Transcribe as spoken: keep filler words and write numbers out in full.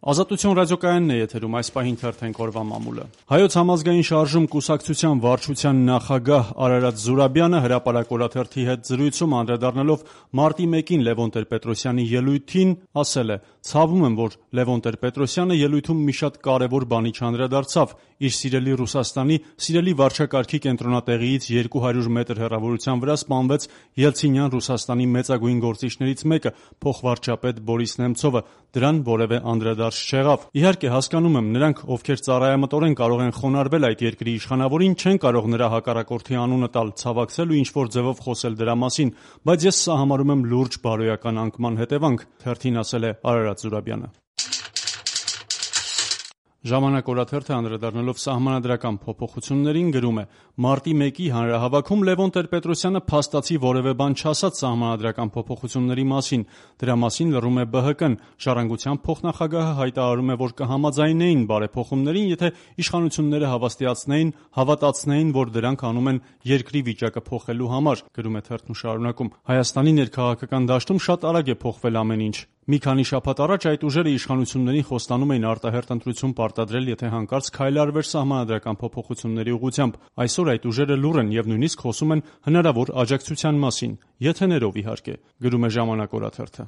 Ազատություն ռադիոկայանն է եթերում, այս պահին թերթենք օրվա մամուլը։ Հայոց համազգային շարժում կուսակցության վարչության նախագահ Արարատ Զուրաբյանը հրապարակ օրաթերթի հետ զրույցում անդրադառնալով մարտի մեկին Լևոն Տեր-Պետրոսյանի ելույթին ասել է. «Ցավում եմ, որ Լևոն Տեր-Պետրոսյանը ելույթում մի շատ կարևոր բանի չանդրադարձավ. իր սիրելի Ռուսաստանի սիրելի վարչակարգի կենտրոնատեղիից երկու հարյուր մետր հեռավորության վրա սպանվեց Ելցինյան Ռուսաստանի մեծագույն գործիչներից մեկը, փոխվարչապետ Բորիս Նեմցովը, դրան որևէ անդրադարձ չեղավ։ Իհարկե, հասկանում եմ, նրանք, ովքեր ծառայամտորեն կարող են խոնարհվել այդ երկրի իշխանավորին, չեն կարող նրա հակառակորդի անունը տալ, ցավակցել ու ինչ-որ ձևով խոսել դրա մասին, բայց ես սա համարում եմ լուրջ բարոյական անկման հետևանք», թերթին ասել է Արարատ Զուրաբյանը։ «Ժամանակ» օրաթերթը անդրադառնալով սահմանադրական փոփոխություններին գրում է. «Մարտի մեկի հանրահավաքում Լևոն Տեր-Պետրոսյանը փաստացի որևէ բան չասաց սահմանադրական փոփոխությունների մասին, դրա մասին լռում է Բ Հ Կն։ «Ժառանգության» փոխնախագահը հայտարարում է, որ կհամաձայնեին բարեփոխումներին, եթե իշխանությունները հավաստիացնեին, հավատացնեին, որ դրանք անում են երկրի վիճակը փոխելու համար», գրում է թերթն ու շարունակում. «Հայաստանի ներքաղաքական դաշտում շատ արագ է փոխվել ամեն ինչ։ Մի քանի շաբաթ առաջ այդ ուժերը իշխանություններին խոստանում էին արտահերթ ընտրություն պարտադրել, եթե հանկարծ քայլ արվեր սահմանադրական փոփոխությունների ուղղությամբ։ Այսօր այդ ուժերը լուռ են եւ նույնիսկ խոսում են հնարավոր աջակցության մասին, եթեներով իհարկե», գրում է «Ժամանակ» օրաթերթը։